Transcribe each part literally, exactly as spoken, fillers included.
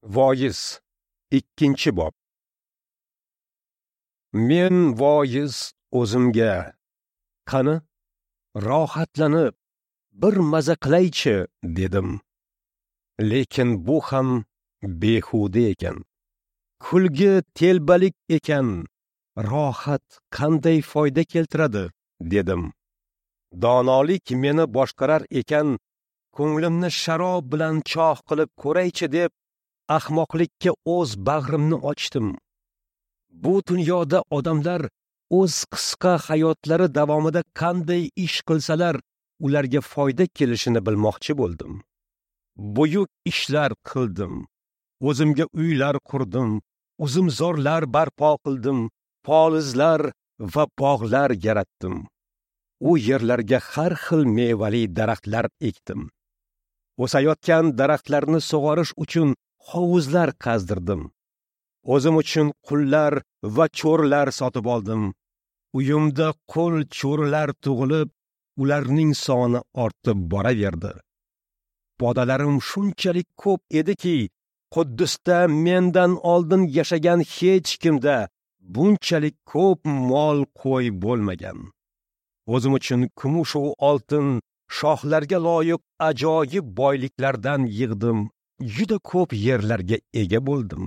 Voiz ikkinchi bob. Men voiz o'zimga, qani rohatlanib bir maza qilaychi dedim. Lekin bu ham behuda ekan. Kulgi telbalik ekan. Rohat qanday foyda keltiradi dedim. Donolik meni boshqarar ekan, ko'nglimni sharob bilan choh qilib ko'raychi deb ahmoqlikka o'z bag'rimni ochdim. Bu dunyoda odamlar o'z qisqa hayotlari davomida qanday ish qilsalar, ularga foyda kelishini bilmoqchi bo'ldim. Buyuk ishlar qildim. O'zimga uylar qurdim, uzumzorlar barpo qildim, polizlar va bog'lar yaratdim. U yerlarga har xil mevali daraxtlar ekdim. O'sayotgan daraxtlarni sug'orish uchun hovuzlar qazdirdim. O'zim uchun qullar va cho'rilar sotib oldim. Uyimda qul cho'rilar tug'ilib, ularning soni ortib boraverdi. Podalarim shunchalik ko'p ediki, Quddusda mendan oldin yashagan hech kimda bunchalik ko'p mol qo'y bo'lmagan. O'zim uchun kumush va oltin, shohlarga loyiq ajoyib boyliklardan yig'dim. Juda ko'p yerlarga ega bo'ldim.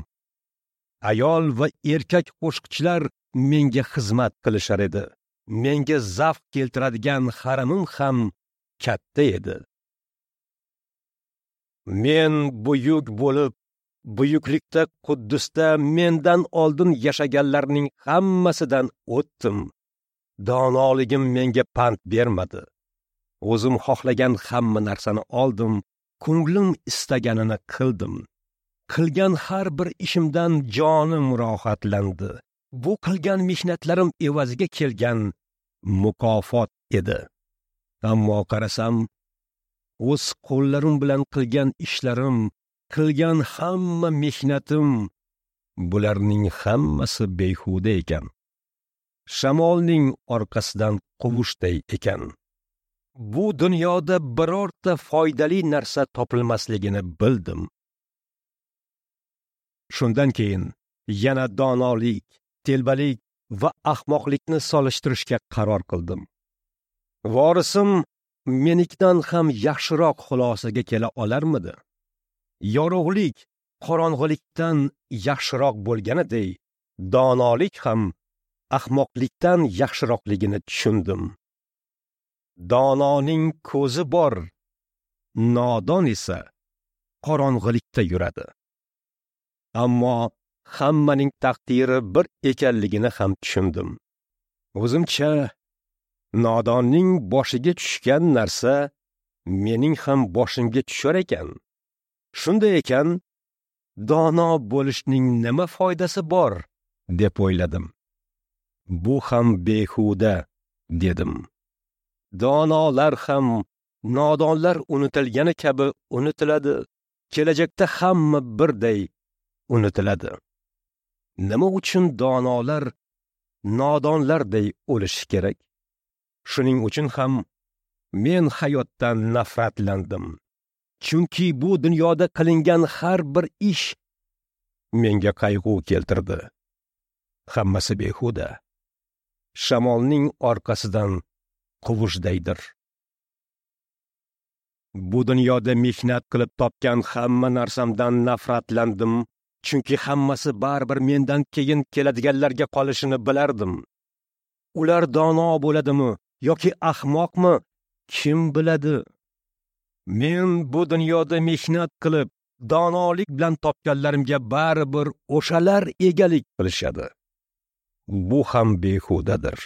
Ayol va erkak qo'shiqchilar menga xizmat qilishar edi. Menga zavq keltiradigan haramim ham katta edi. Men buyuk bo'lib, buyuklikda Quddusda mendan oldin yashaganlarning hammasidan o'tdim. Donoligim menga pand bermadi. O'zim xohlagan hamma narsani oldim, ko'nglim istaganini qildim. Qilgan har bir ishimdan jonim rohatlandi. Bu qilgan mehnatlarim evaziga kelgan mukofot edi. Ammo qarasam, o'z qo'llarim bilan qilgan ishlarim, qilgan hamma mehnatim, bularning hammasi behuda ekan. Shamolning orqasidan quvishday ekan. Bu dunyoda birorta foydali narsa topilmasligini bildim. Shundan keyin yana donolik, telbalik va ahmoqlikni solishtirishga qaror qildim. Vorisim menikdan ham yaxshiroq xulosaga kela olarmidi? Yorug'lik qorong'ulikdan yaxshiroq bo'lganiday, donolik ham ahmoqlikdan yaxshiroqligini tushundim. Dononing ko'zi bor, nodon esa qorong'ulikda yuradi. Ammo hammaning taqdiri bir ekanligini ham tushundim. O'zimcha nodonning boshiga tushgan narsa mening ham boshimga tushar ekan. Shunday ekan, dono bo'lishning nima foydasi bor deb o'yladim. Bu ham behuda dedim. Donolar ham nodonlar unutilgani kabi unutiladi. Kelajakda hamma birday unutiladi. Nima uchun donolar nodonlarday o'lishi kerak? Shuning uchun ham men hayotdan nafratlandim. Chunki bu dunyoda qilingan har bir ish menga qayg'u keltirdi. Hammasi behuda. Shamolning orqasidan quvishdaydir. Bu dunyoda mehnat qilib topgan hamma narsamdan nafratlandim, chunki hammasi baribir mendan keyin keladiganlarga qolishini bilardim. Ular dono bo'ladimi yoki ahmoqmi, kim biladi? Men bu dunyoda mehnat qilib, donolik bilan topganlarimga baribir o'shalar egalik qilishadi. Bu ham behudadir.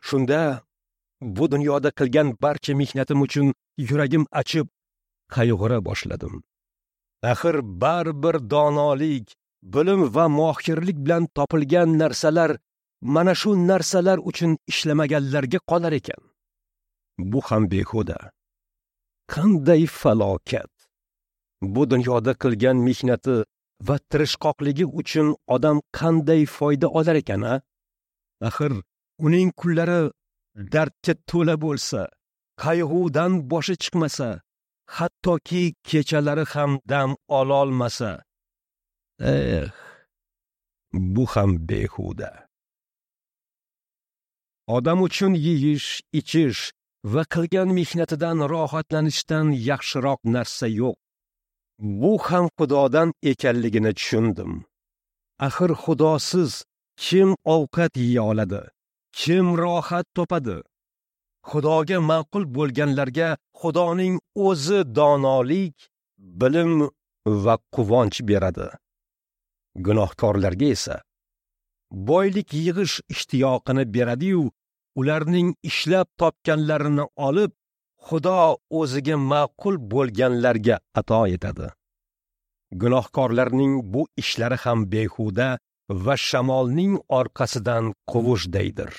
Shunda bu dunyoda qilgan barcha mehnatim uchun yuragim achib, qayg'ura boshladim. Axir baribir donolik, bilim va mohirlik bilan topilgan narsalar mana shu narsalar uchun ishlamaganlarga qolar ekan. Bu ham behuda. Qanday falokat! Bu dunyoda qilgan mehnati va tirishqoqligi uchun odam qanday foyda olar ekan, a? Axir uning kunlari dardga to'la bo'lsa, qayg'udan boshi chiqmasa, hattoki kechalari ham dam ololmasa, Eh, bu ham behuda. Odam uchun yeyish, ichish va qilgan mehnatidan rohatlanishdan yaxshiroq narsa yo'q. Bu ham Xudodan ekanligini tushundim. Axir Xudosiz kim ovqat yeya oladi? Kim rohat topadi? Xudoga ma'qul bo'lganlarga Xudoning o'zi donolik, bilim va quvonch beradi. Gunohkorlarga esa boylik yig'ish ishtiyoqini beradi-yu, ularning ishlab topganlarini olib, Xudo o'ziga ma'qul bo'lganlarga ato etadi. Gunohkorlarning bu ishlari ham behuda va shamolning orqasidan quvishdaydir.